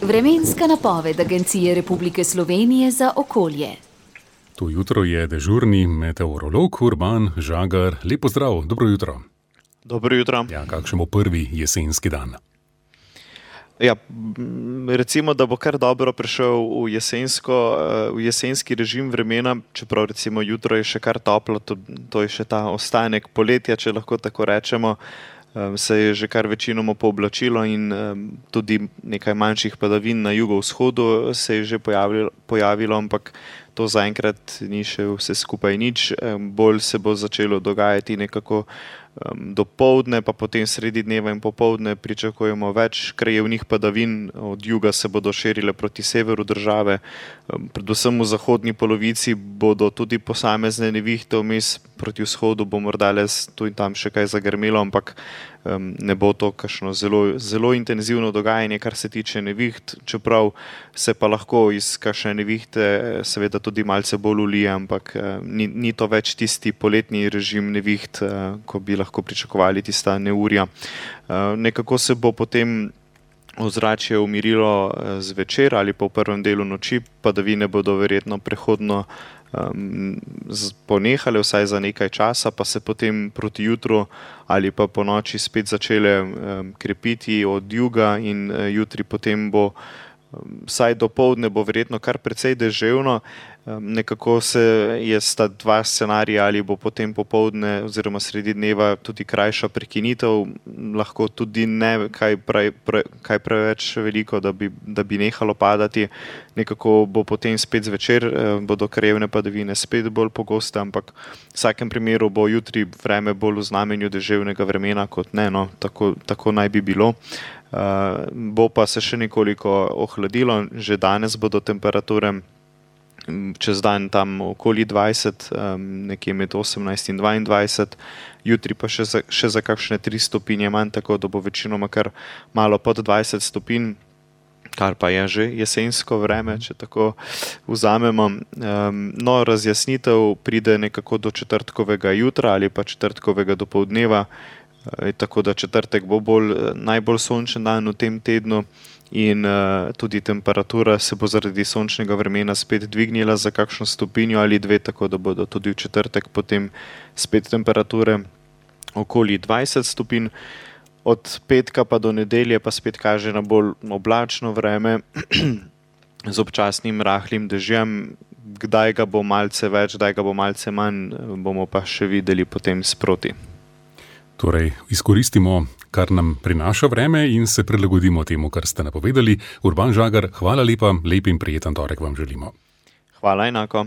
Vremenska napoved Agencije Republike Slovenije za okolje. To jutro je dežurni meteorolog Urban Žagar. Lep pozdrav, dobro jutro. Dobro jutro. Ja, kakšen bo prvi jesenski dan? Ja, recimo, da bo kar dobro prišel v jesenski režim vremena, čeprav recimo jutro je še kar toplo, to je še ta ostanek poletja, če lahko tako rečemo. Se je že kar večinoma pooblačilo in tudi nekaj manjših padavin na jugovzhodu se je že pojavilo, ampak to zaenkrat ni še vse skupaj nič. Bolj se bo začelo dogajati nekako dopoldne, pa potem sredi dneva in popoldne pričakujemo več krajevnih padavin. Od juga se bodo širile proti severu države. Predvsem v zahodni polovici bodo tudi posamezne nevihte, vmes proti vzhodu bo morda le tu in tam še kaj zagrmelo, ampak ne bo to kakšno zelo intenzivno dogajanje, kar se tiče neviht, čeprav se pa lahko iz kakšne nevihte seveda tudi malce bolj ulije, ampak ni to več tisti poletni režim neviht, ko bi lahko pričakovali tista neurja. Nekako se bo potem ozračje umirilo zvečer ali pa v prvem delu noči, padavine bodo verjetno prehodno ponehale vsaj za nekaj časa, pa se potem proti jutru ali pa po noči spet začele krepiti od juga in jutri potem bo vsaj dopoldne bo verjetno kar precej deževno. Nekako sta dva scenarija, ali bo potem popoldne oziroma sredi dneva tudi krajša prekinitev, lahko tudi ne kaj preveč veliko, da bi nehalo padati. Nekako bo potem spet zvečer, bodo krajevne padavine spet bolj pogoste, ampak v vsakem primeru bo jutri vreme bolj v znamenju deževnega vremena kot ne, no, tako naj bi bilo. Bo pa se še nekoliko ohladilo, že danes bodo temperature čez dan tam okoli 20, nekje med 18 in 22, jutri pa še za kakšne 3 stopinje manj, tako da bo večinoma kar malo pod 20 stopinj, kar pa je že jesensko vreme, če tako vzamemo. No, razjasnitev pride nekako do četrtkovega jutra ali pa četrtkovega dopoldneva, tako da četrtek bo najbolj sončen dan v tem tednu in tudi temperatura se bo zaradi sončnega vremena spet dvignila za kakšno stopinjo ali 2, tako da bodo tudi v četrtek potem spet temperature okoli 20 stopinj. Od petka pa do nedelje pa spet kaže na bolj oblačno vreme z občasnim rahlim dežjem. Kdaj ga bo malce več, kdaj ga bo malce manj, bomo pa še videli potem sproti. Torej, izkoristimo, kar nam prinaša vreme in se prilagodimo temu, kar ste napovedali. Urban Žagar, hvala lepa, lep in prijeten torek vam želimo. Hvala enako.